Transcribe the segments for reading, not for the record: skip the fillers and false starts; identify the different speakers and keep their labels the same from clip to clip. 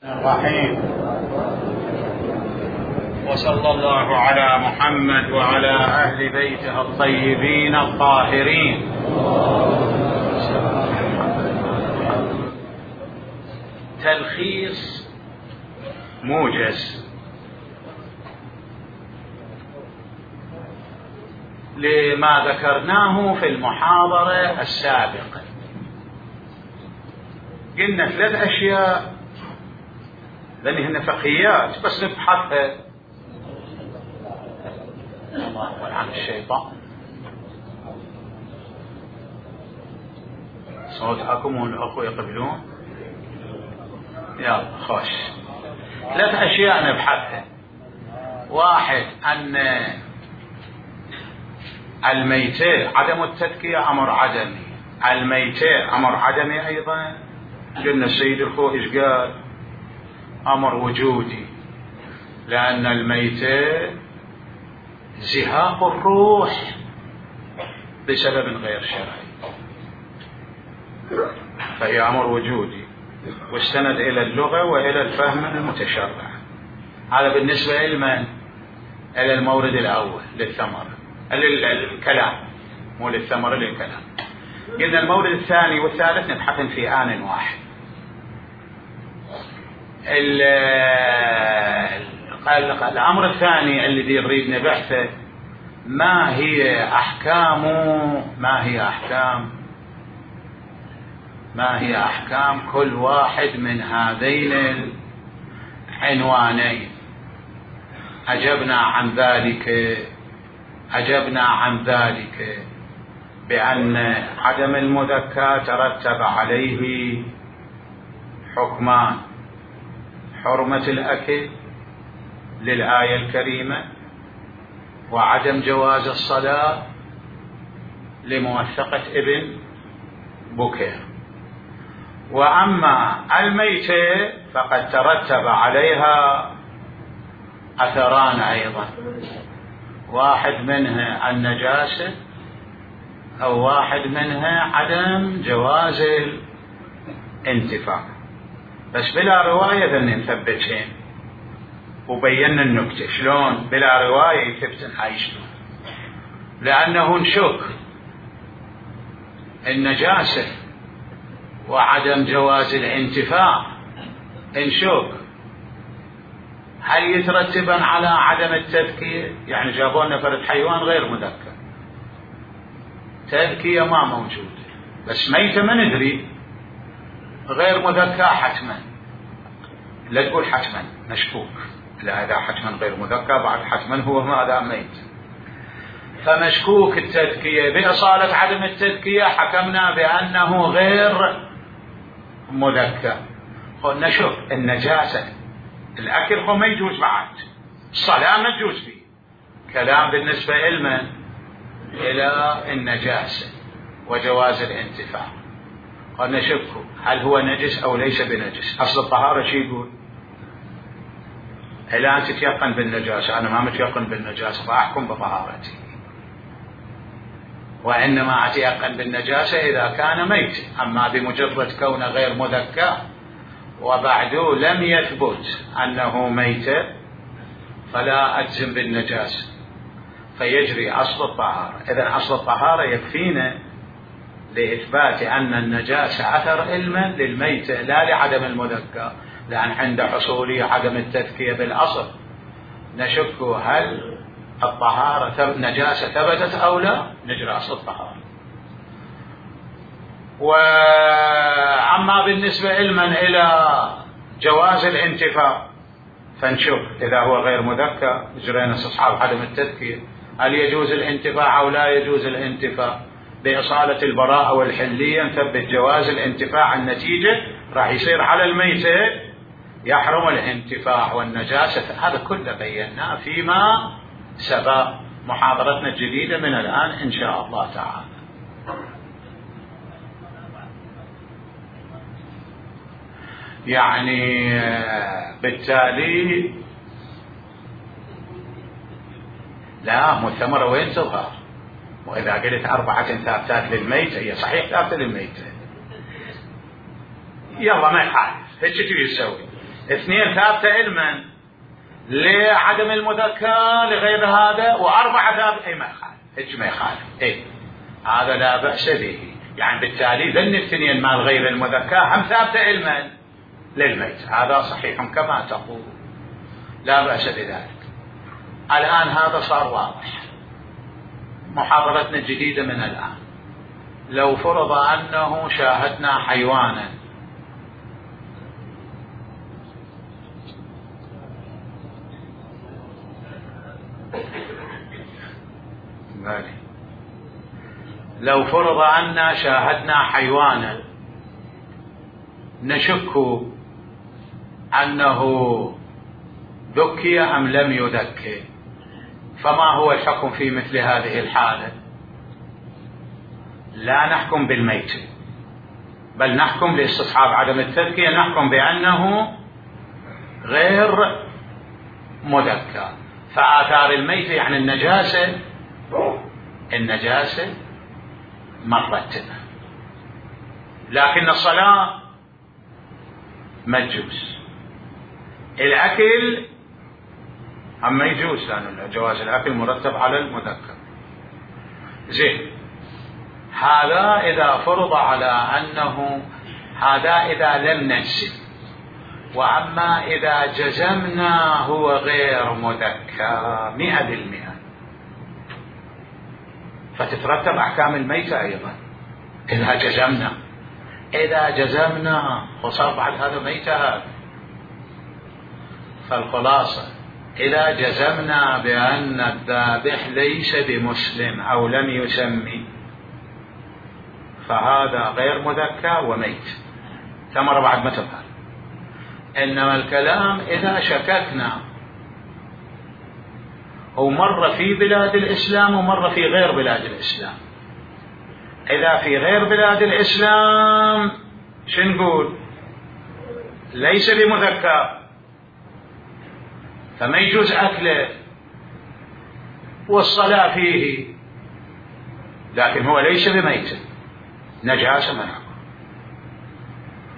Speaker 1: الرحيم. وصلى الله على محمد وعلى أهل بيته الطيبين الطاهرين. تلخيص موجز لما ذكرناه في المحاضرة السابقة. قلنا 3 أشياء لأنهن فقهيات بس نبحثها. الله ولعن الشيطان. صوتكم والأخوة يقبلون. يلا خوش. 3 أشياء نبحثها. 1 أن الميتة عدم التذكية أمر عدمي. الميتة أمر عدمي أيضا. قلنا السيد الخوئ إيش قال؟ أمر وجودي، لأن الميتة زهاق الروح بسبب غير شرعي، فهي أمر وجودي واستند إلى اللغة وإلى الفهم المتشرع. هذا بالنسبة لمن؟ إلى المورد الأول للثمرة، للكلام، مو للثمرة، للكلام. قلنا المورد الثاني والثالث نبحثن في آن واحد. الأمر الثاني الذي نريد نبحثه ما هي أحكام كل واحد من هذين العنوانين. أجبنا عن ذلك بأن عدم المذكى ترتب عليه حكمان: حرمة الأكل للآية الكريمة، وعدم جواز الصلاة لموثقة ابن بكير. وأما الميتة فقد ترتب عليها أثران أيضا، واحد منها النجاسة أو واحد منها عدم جواز الانتفاع. بس بلا رواية ذن نثبتين وبينا النكتة شلون بلا رواية يثبتن هاي شلون، لأنه نشك النجاسة وعدم جواز الانتفاع، نشك هل يترتبا على عدم التذكية؟ يعني جابوا لنا فرد حيوان غير مذكر، تذكية ما موجودة، بس ميتة ما ندري، غير مذكى حتما. لا تقول حتما، مشكوك، لا هذا حتما غير مذكى، بعد حتما هو ماذا؟ ميت. فمشكوك التذكية، بإصالة عدم التذكية حكمنا بأنه غير مذكى. نشوف النجاسة، الأكل هو ما يجوز، بعد الصلاة ما تجوز فيه. كلام بالنسبة إلمن؟ إلى النجاسة وجواز الانتفاع. قلنا شكوا هل هو نجس أو ليس بنجس. أصل الطهارة شي يقول؟ إلا أن تتيقن بالنجاسة. أنا ما متيقن بالنجاسة فأحكم بطهارتي، وإنما أتيقن بالنجاسة إذا كان ميت. أما بمجرد كونه غير مذكى وبعده لم يثبت أنه ميت فلا أجزم بالنجاسة، فيجري أصل الطهارة. إذن أصل الطهارة يكفينا لإثبات أن النجاسة أثر علما للميتة لا لعدم المذكى، لأن عند حصول عدم التذكية بالأصل نشك هل الطهارة نجاسة ثبتت أو لا، نجري أصل الطهارة. وأما بالنسبة علما إلى جواز الانتفاع فنشوف إذا هو غير مذكى جرينا استصحاب عدم التذكية، هل يجوز الانتفاع أو لا يجوز الانتفاع. بإصالة البراءة والحلية نثبت جواز الانتفاع، النتيجة راح يصير على الميتة يحرم الانتفاع والنجاسة. هذا كله بيناه فيما سبق محاضرتنا الجديدة من الآن إن شاء الله تعالى. يعني بالتالي لا مثمرة وين تظهر؟ وإذا قلت 4 ثابتات للميتة، هي صحيح ثابتة للميتة، يلا ما يخالف، هيك تبي تسوي. اثنين ثابتة علما لعدم المذكر لغير هذا، وأربعة ثابتة ما يخالف، هيك ما يخالف. هذا لا بأس به. يعني بالتالي ذن الاثنين مال غير المذكر هم ثابتة علما للميت، هذا صحيح كما تقول، لا بأس بذلك. الآن هذا صار واضح. محاضرتنا الجديدة من الآن، لو فرض أنه شاهدنا حيوانا لو فرض أننا شاهدنا حيوانا نشك أنه ذكي أم لم يذكي، فما هو الحكم في مثل هذه الحالة؟ لا نحكم بالميت، بل نحكم لاستصحاب عدم التذكية، نحكم بأنه غير مذكر. فآثار الميت يعني النجاسة مرتبة، لكن الصلاة ما تجوز. الأكل أما يجوز، لأن جواز الأكل مرتب على المذكر. زين، هذا إذا فرض على أنه هذا إذا لم نجزم. وأما إذا جزمنا هو غير مذكر 100%، فتترتب أحكام الميتة أيضا إذا جزمنا وصار بعد هذا ميتة هذا. فالخلاصة إذا جزمنا بأن الذابح ليس بمسلم أو لم يسمي، فهذا غير مذكر وميت. ثمرة بعد ما تظهر. إنما الكلام إذا شككنا، ومر في بلاد الإسلام ومر في غير بلاد الإسلام. إذا في غير بلاد الإسلام شنقول؟ ليس بمذكر، فما يجوز أكله والصلاة فيه، لكن هو ليس بميت، نجاسة منه.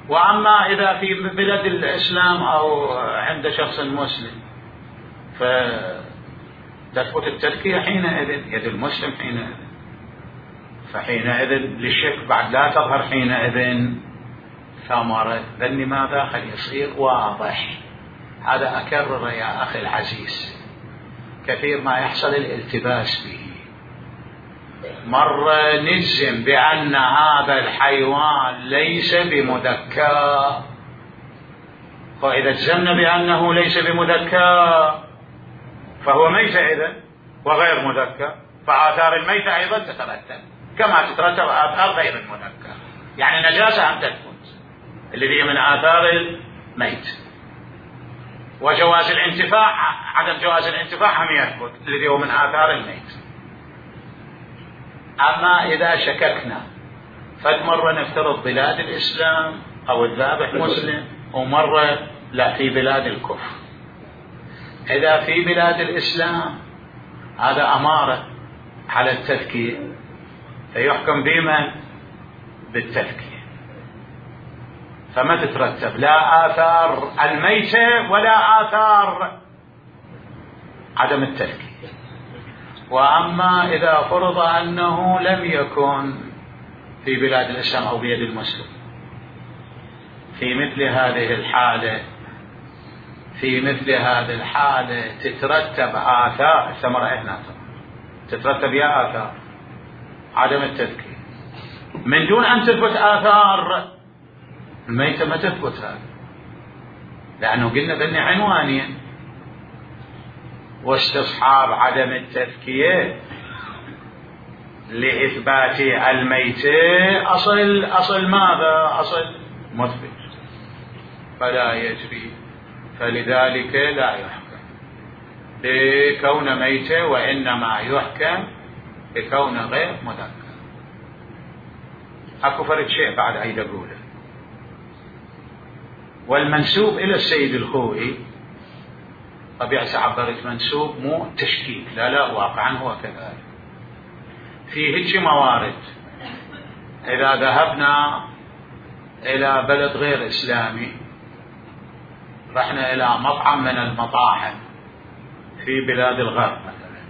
Speaker 1: وأما إذا في بلاد الإسلام أو عند شخص مسلم فتثبت التذكية حينئذ، يد المسلم حينئذ، فحينئذ للشك بعد لا تظهر حينئذ ثمرة. ذني ماذا خل يصير واضح. هذا أكرر يا أخي العزيز، كثير ما يحصل الالتباس به. مرة نجزم بأن هذا الحيوان ليس بمذكر، فإذا جزمنا بأنه ليس بمذكر فهو ميت إذن وغير مذكر، فآثار الميتة أيضا تترتب كما تترتب آثار غير المذكر. يعني نجاسة أم تثبت الذي هي من آثار الميت، وجواز الانتفاع عدم جواز الانتفاع هم يثبت الذي هو من آثار الميت. أما إذا شككنا، فمرة نفترض بلاد الإسلام أو الذابح مسلم، ومرة لا في بلاد الكفر. إذا في بلاد الإسلام هذا أمارة على التذكير، فيحكم بما بالتذكير، فما تترتب لا آثار الميتة ولا آثار عدم التذكير. وأما إذا فرض أنه لم يكن في بلاد الإسلام أو بيد المسلم، في مثل هذه الحالة تترتب آثار الثمرة هنا، تترتب يا آثار عدم التذكير من دون أن تثبت آثار الميتة. ما تثبت هذا، لأنه قلنا بأن عنوانين: واستصحاب عدم التذكية لإثبات الميتة أصل ماذا؟ أصل مثبت، فلا يجري، فلذلك لا يحكم بكون ميتة، وإنما يحكم بكون غير مذكر. أكو فرق شيء بعد عيد أقوله. والمنسوب إلى السيد الخوئي، طبيعة عبرت منسوب مو تشكيك، لا واقعا هو كذلك. في هيك موارد إذا ذهبنا إلى بلد غير إسلامي رحنا إلى مطعم من المطاعم في بلاد الغرب مثلا،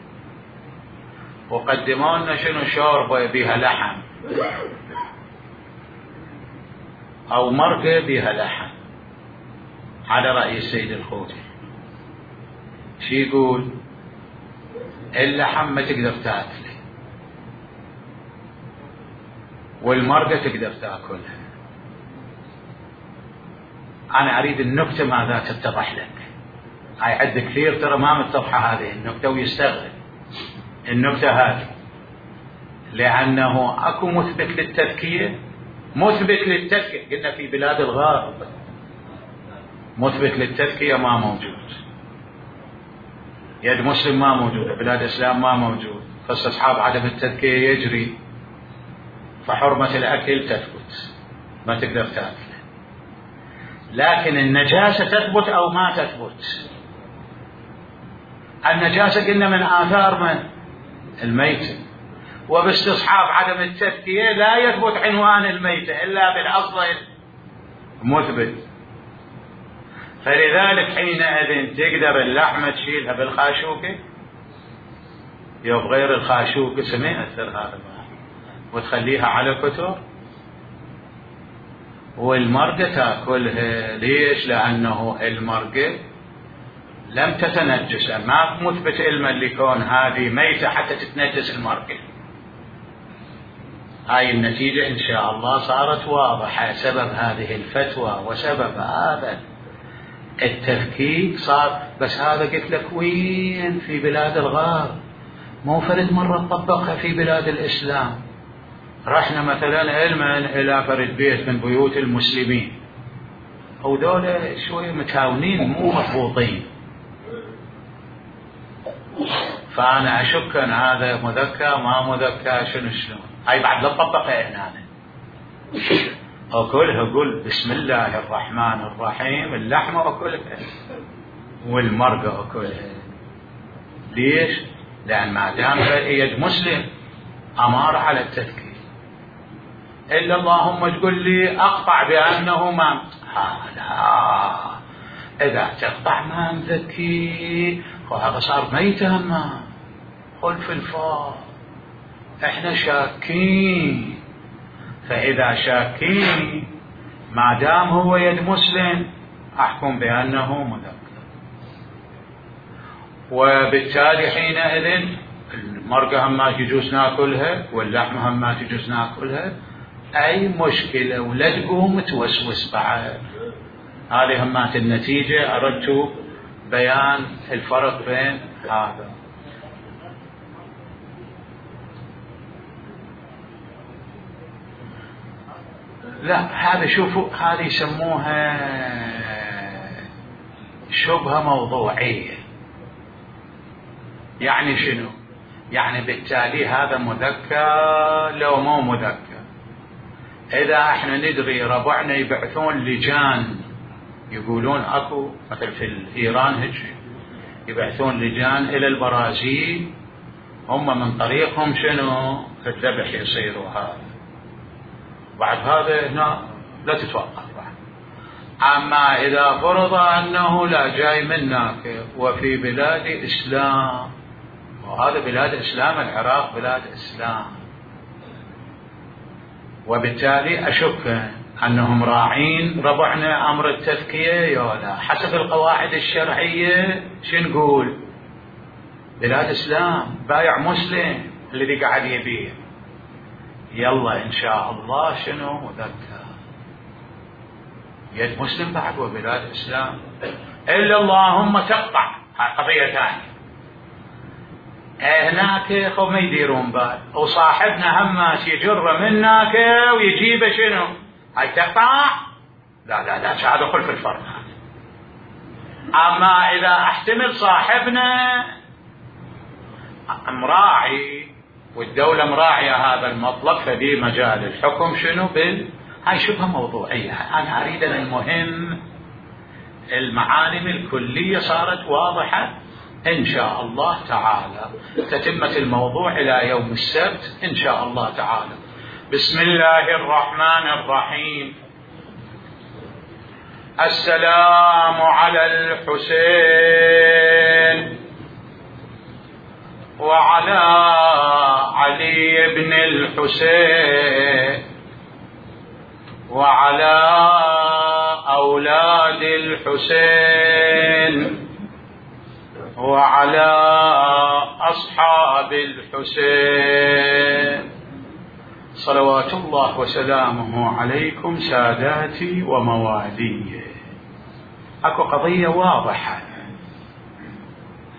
Speaker 1: وقدموا لنا شنو شوربة بها لحم أو مرقة بها لحم، على رأي السيد الخوئي شي يقول؟ اللحم ما تقدر تاكله والمرقة تقدر تاكلها. أنا أريد النكتة ماذا تتضح لك. هاي عد كثير ترى ما متضحة هذه النكتة ويستغرب النكتة هذه، لأنه أكو مثبت للتذكية. مثبت للتذكية قلنا في بلاد الغرب مثبت للتذكية ما موجود. يد مسلم ما موجودة، بلاد الإسلام ما موجود، فاستصحاب عدم التذكية يجري، فحرمة الأكل تثبت ما تقدر تأكل. لكن النجاسة تثبت أو ما تثبت؟ النجاسة قلنا من آثار من؟ الميتة، وباستصحاب عدم التذكية لا يثبت عنوان الميتة إلا بالأصل مثبت. فلذلك حينئذ تقدر اللحمة تشيلها بالخاشوكة يوم غير الخاشوكة سمعت هذا وتخليها على كتر، والمرقة تاكلها. ليش؟ لأنه المرقة لم تتنجس، ما مثبت علما لكون هذه ميتة حتى تتنجس المرقة. هاي النتيجة إن شاء الله صارت واضحة. سبب هذه الفتوى وسبب هذا التفكيك صار، بس هذا قلت لك وين؟ في بلاد الغرب، مو فرد مرة طبقها في بلاد الإسلام. رحنا مثلا علما إلى فرد بيت من بيوت المسلمين، أو دولة شوية متهاونين مو مضبوطين، فأنا أشك أن هذا مذكى ما مذكى شنو شلون. هاي بعد لا تطبقها هنا. أكلها قل بسم الله الرحمن الرحيم، اللحمة أكلها والمرقة أكلها. ليش؟ لأن ما دام يد مسلم أمار على التذكير. إلا اللهم تقول لي أقطع بأنه ما لا، إذا تقطع ما مذكي وهذا صار ميتا ما خلف الفار. إحنا شاكين، فإذا شاكين ما دام هو يد مسلم أحكم بأنه مذكر، وبالتالي حينئذ المرقة هم ما تجوز ناكلها واللحمة هم ما تجوز ناكلها. أي مشكلة ولا تقوم توسوس بعد. هذه همات النتيجة. أردت بيان الفرق بين هذا. لا هذا شوفوا، هذه يسموها شبهة موضوعية. يعني شنو؟ يعني بالتالي هذا مذكر لو مو مذكر. إذا احنا ندري ربعنا يبعثون لجان، يقولون اكو مثل في إيران هيك يبعثون لجان إلى البرازيل، هم من طريقهم شنو الذبح يصيروا هذا. بعد هذا هنا لا تتوقف. أما إذا فرض أنه لا جاي منك وفي بلاد إسلام، وهذا بلاد إسلام، العراق بلاد إسلام، وبالتالي أشك أنهم راعين ربعنا أمر التذكية يا لا. حسب القواعد الشرعية شو نقول؟ بلاد إسلام، بايع مسلم الذي قاعد يبيع، يلا إن شاء الله شنو مذكر يد مسلم بعد وبلاد إسلام. إلا اللهم تقطع، هاي قضية ثانية. هناك خو ما يديرون بال، وصاحبنا هماش يجر منك ويجيب شنو هاي تقطع. لا لا لا، هذا خلف الفرق. أما إذا احتمل صاحبنا مراعي والدولة مراعية هذا المطلب، فدي مجال الحكم شنو هاي شبهة موضوعية. أنا أريد أن المهم المعالم الكلية صارت واضحة إن شاء الله تعالى. تتمة الموضوع إلى يوم السبت إن شاء الله تعالى. بسم الله الرحمن الرحيم. السلام على الحسين وعلى علي بن الحسين وعلى أولاد الحسين وعلى أصحاب الحسين صلوات الله وسلامه عليكم ساداتي وموالي. اكو قضية واضحة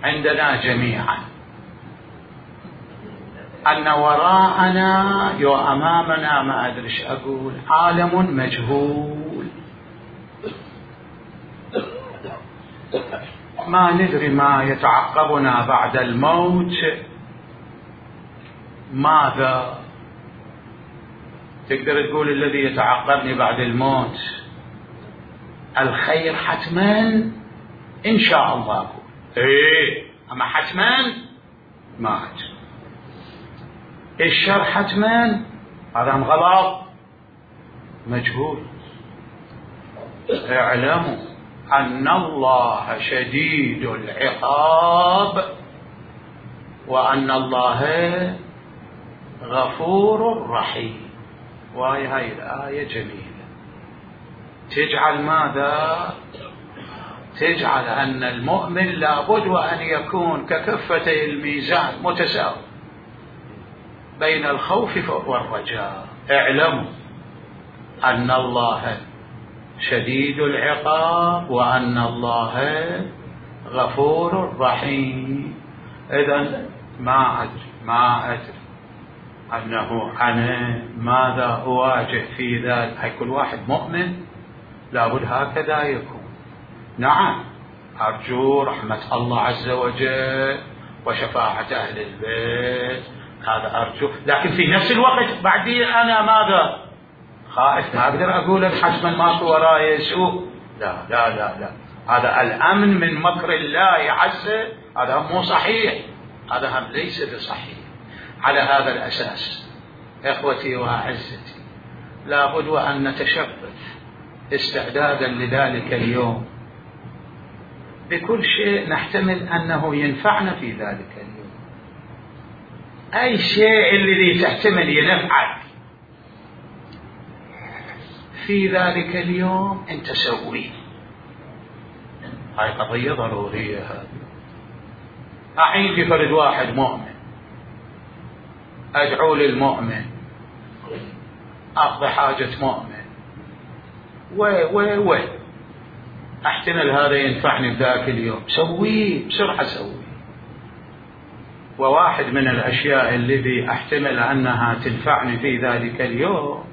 Speaker 1: عندنا جميعا أن وراءنا أمامنا ما أدري ايش أقول عالم مجهول، ما ندري ما يتعقبنا بعد الموت. ماذا تقدر تقول الذي يتعقبني بعد الموت؟ الخير حتما إن شاء الله أقول أما حتما ما أدري. الشر حتما هذا غلط مجهول. اعلموا أن الله شديد العقاب وأن الله غفور رحيم. هاي الآية جميلة تجعل ماذا؟ تجعل أن المؤمن لابد وأن يكون ككفتي الميزان متساوي بين الخوف والرجاء. اعلموا أن الله شديد العقاب وأن الله غفور رحيم. إذن ما أدري أنه أنا ماذا أواجه في ذلك. هاي كل واحد مؤمن لابد هكذا يكون. نعم أرجو رحمة الله عز وجل وشفاعة أهل البيت، هذا أرجو، لكن في نفس الوقت بعدين أنا ماذا؟ خائف، ما أقدر أقول حتما ماكو وراي سوء. لا لا لا لا، هذا الأمن من مكر الله عز، هذا مو صحيح، هذا هم ليس بصحيح. على هذا الأساس إخوتي وأعزتي لابد وأن نتشبث استعدادا لذلك اليوم بكل شيء نحتمل أنه ينفعنا في ذلك اليوم. أي شيء الذي تحتمل ينفعك في ذلك اليوم أنت سويه. هاي قضية ضرورية. هذه أحين في فرد واحد مؤمن أدعو للمؤمن، أقضي حاجة مؤمن، أحتمل هذا ينفعني ذاك اليوم، سويه بسرعة سويه. وواحد من الأشياء التي أحتمل أنها تنفعني في ذلك اليوم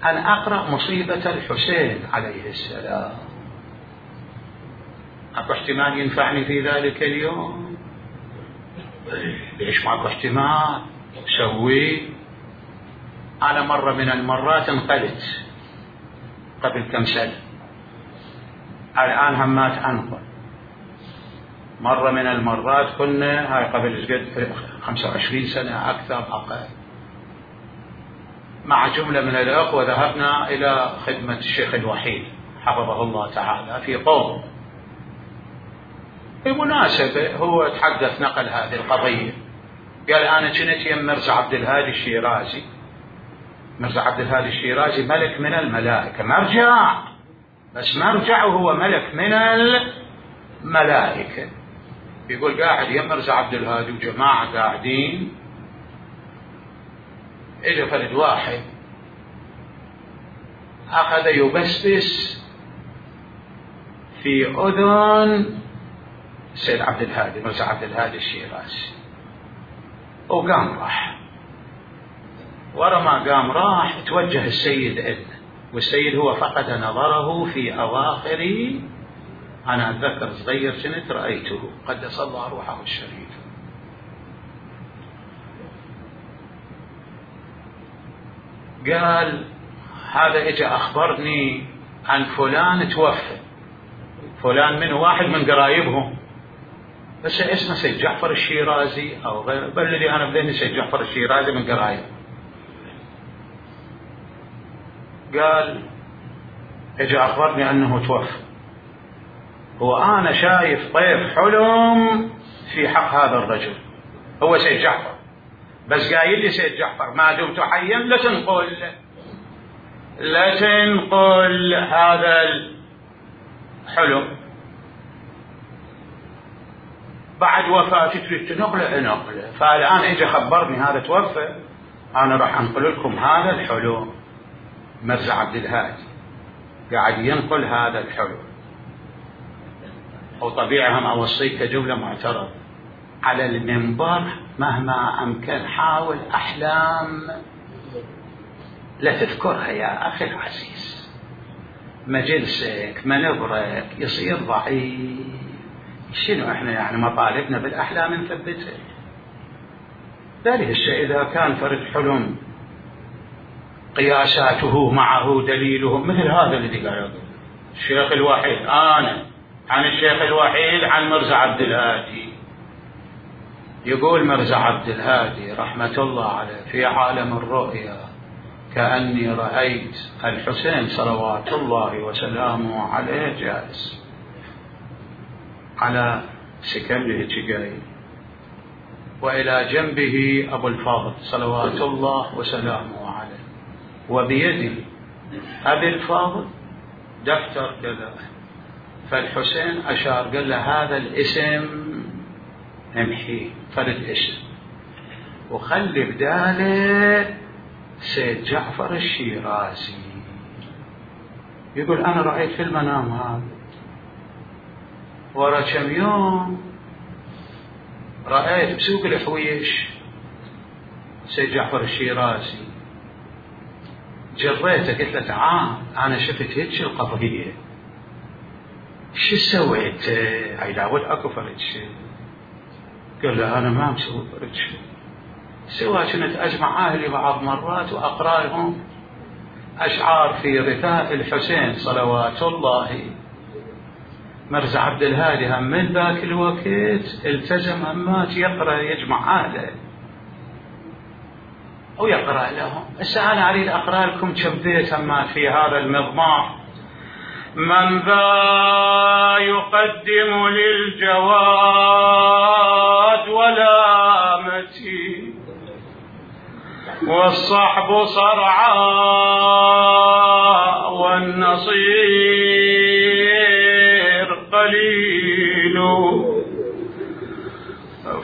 Speaker 1: أن أقرأ مصيبة الحسين عليه السلام. أكو احتمال ينفعني في ذلك اليوم؟ ليش ماكو احتمال؟ سويه. أنا مرة من المرات انقلت قبل كم سنة، الآن همات أنقل. مرة من المرات كنا هاي قبل 25 سنة أكثر أقل مع جملة من الأخوة ذهبنا إلى خدمة الشيخ الوحيد حفظه الله تعالى في قوم. بمناسبة هو تحدث نقل هذه القضية، قال أنا كنت يم مرزا عبد الهادي الشيرازي. مرزا عبد الهادي الشيرازي ملك من الملائكة، مرجع، بس مرجع وهو ملك من الملائكة. يقول قاعد يم مرزا عبد الهادي وجماعة قاعدين، اجى فرد واحد أخذ يبسبس في أذن السيد عبد الهادي، مرزا عبد الهادي الشيرازي، وقام راح. ورا ما قام راح توجه السيد إلنا، والسيد هو فقد نظره في أواخر، أنا أتذكر صغير كنت رأيته قدس الله روحه الشريف. قال هذا اجى أخبرني عن فلان توفى، فلان من واحد من قرايبهم، بس اسمه سيد جعفر الشيرازي أو غيره، بل الذي أنا بذهني سيد جعفر الشيرازي من قرايب. قال اجى اخبرني انه توفى، وانا شايف طيف حلم في حق هذا الرجل هو سيد جعفر، بس قايل لي سيد جعفر ما دمت حيا لا تنقل هذا الحلم. بعد وفاتي تريد تنقله، فالان اجى خبرني هذا توفى، انا راح انقل لكم هذا الحلم. مرزا عبد الهادي قاعد ينقل هذا الحلم، وطبيعي هم اوصيك كجمله معترض على المنبر مهما امكن حاول احلام لا تذكرها يا اخي العزيز، مجلسك منبرك يصير ضعيف. شنو احنا يعني مطالبنا بالاحلام نثبتها؟ ذلك الشيء اذا كان فرد حلم قياساته معه دليله مثل هذا الذي قال الشيخ الوحيد، انا عن الشيخ الوحيد عن مرزا عبد الهادي، يقول مرزا عبد الهادي رحمة الله عليه في عالم الرؤيا كأني رأيت الحسين صلوات الله وسلامه عليه جالس على سكنه جاي، وإلى جنبه أبو الفاضل صلوات الله وسلامه عليه، وبيده أبي الفاضل دفتر كذا. فالحسين أشار قال له هذا الاسم امحيه، فرد اسم، وخلي بداله سيد جعفر الشيرازي. يقول أنا رأيت في المنام هذا، ورا كم يوم رأيت بسوق الحويش سيد جعفر الشيرازي، جريته قلت له تعال أنا شفت هيك القضية، شو سويت؟ هاي داود اكو فرد شيء. قال له انا ما مسوي فرد شيء، سوى كنت اجمع اهلي بعض مرات واقرا لهم اشعار في رثاء الحسين صلوات الله. مرزا عبد الهادي هم من ذاك الوقت التزم همات يقرا يجمع اهله او يقرا لهم. هسه انا اريد اقرا لكم كم بيت همات في هذا المضمار. من ذا يقدم للجواد ولا متي، والصحب صرعا والنصير قليل،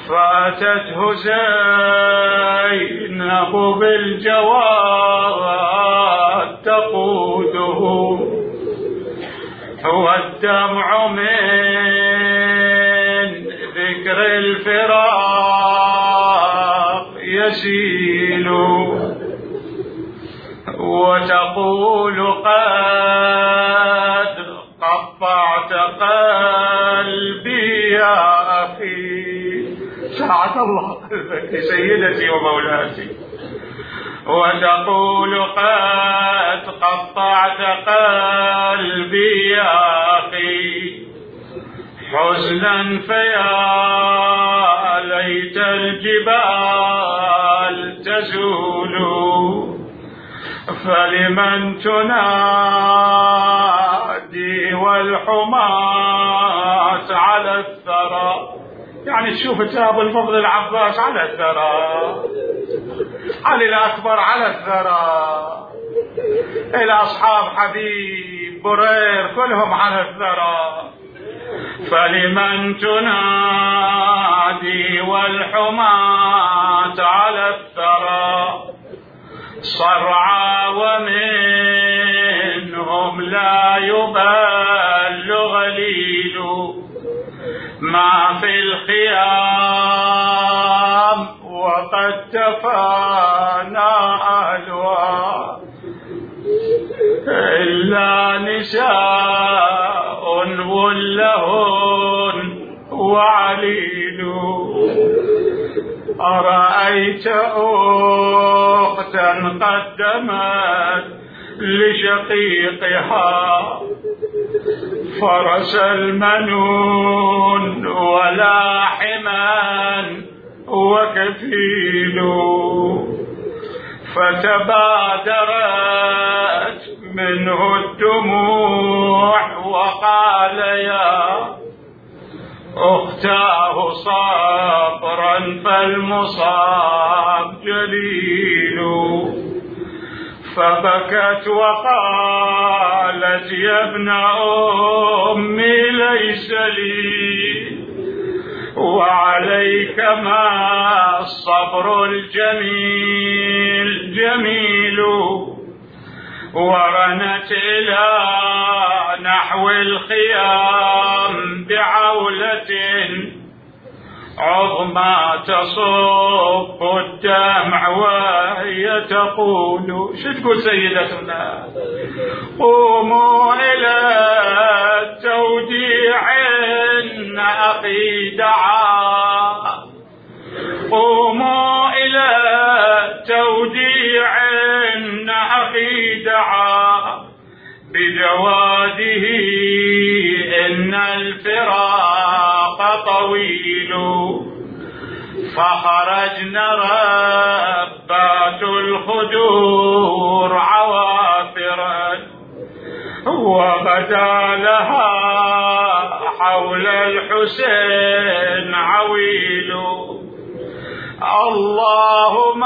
Speaker 1: فاتته زينب بالجواد تقوده، هو الدمع من ذكر الفراق يسيل، وتقول قد قطعت قلبي يا أخي، سعد الله قلبك سيدتي ومولاتي، وتقول قد قطعت قلبي يا أخي حزنا، فيا ليت الجبال تزول، فلمن تنادي والحماة على الثرى. يعني تشوف أبو الفضل العباس على الثرى، علي الأكبر على الثرى، إلى أصحاب حبيب برير كلهم على الثرى. فلمن تنادي والحماة على الثرى صرعى، ومنهم لا يبل غليل، ما في الخيام وقد تفانى أهلها، إلا نساء ولهن وعليل. أرأيت أختا قدمت لشقيقها فرس المنون ولاحما وكفيل، فتبادرت منه الدموع وقال يا أختاه صبرا فالمصاب جليل، فبكت وقالت يا ابن أمي ليس لي وعليك ما الصبر الجميل جميل، ورنت إلى نحو الخيام بعولة عظمى تصب الدمع وهي تقول. شو تقول سيدتنا؟ قوموا إلى التوديع إن أخي دعا، قوموا إلى التوديع إن أخي دعا، بجواده إن الفراق طويل. فخرجنا ربات الخدور عوافرا، وبدا لها حول الحسين عويل. اللهم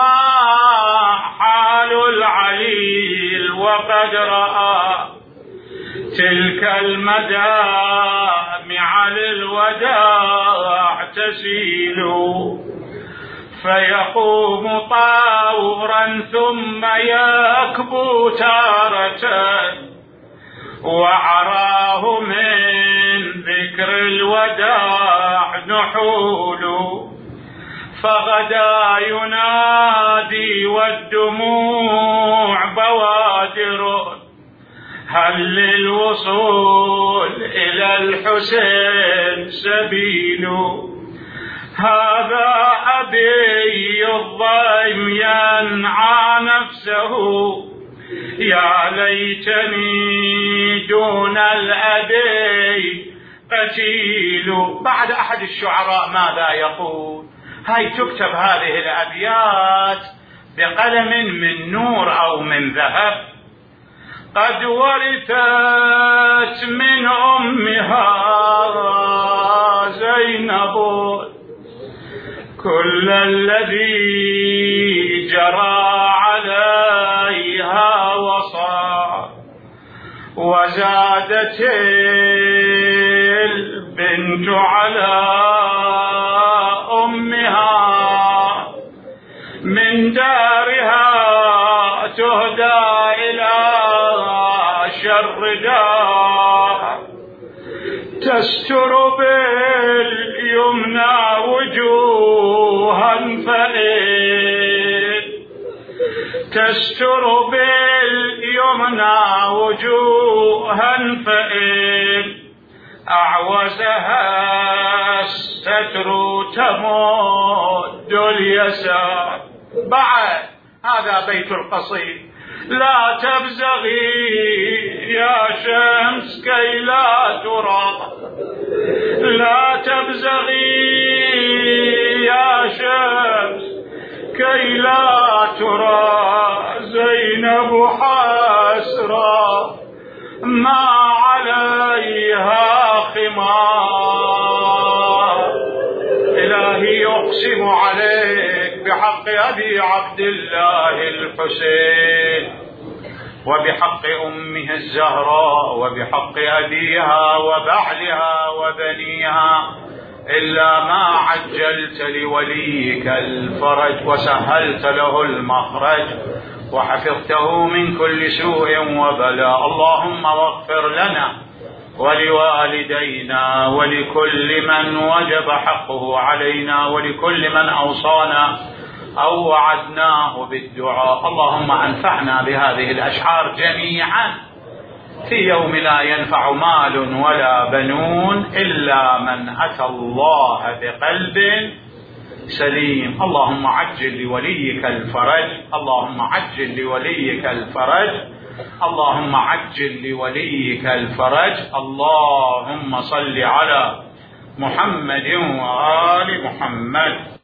Speaker 1: حال العليل وقد رأى تلك المدامع للوداع تسيل، فيقوم طاورا ثم يكبو تارة، وعراه من ذكر الوداع نحول. فغدا ينادي والدموع بوادر، هل للوصول إلى الحسين سبيل؟ هذا أبي الضيم ينعى نفسه، يا ليتني دون الأبي قتيل. بعد أحد الشعراء ماذا يقول؟ هاي تكتب هذه الأبيات بقلم من نور أو من ذهب. قد ورثت من أمها زينب كل الذي جرى عليها وصار، وزادت البنت على أمها من دارها تهدى إلى شر دار، تستر باليمنى وجوها فإن تستر باليمنى وجوها فإن أعوزها الستر تمد اليسار. بعد هذا بيت القصيد. لا تبزغي يا شمس كي لا ترى، لا تبزغي يا شمس كي لا ترى، زينب حسرة ما عليها خمار. إلهي يقسم عليك بحق أبي عبد الله الحسين، وبحق أمه الزهراء، وبحق أبيها وبعلها وبنيها، إلا ما عجلت لوليك الفرج وسهلت له المخرج وحفظته من كل سوء وبلاء. اللهم واغفر لنا ولوالدينا ولكل من وجب حقه علينا ولكل من أوصانا أو وعدناه بالدعاء. اللهم أنفعنا بهذه الأشعار جميعا في يوم لا ينفع مال ولا بنون إلا من أتى الله بقلب سليم. اللهم عجل لوليك الفرج، اللهم عجل لوليك الفرج، اللهم عجل لوليك الفرج. اللهم صل على محمد وآل محمد.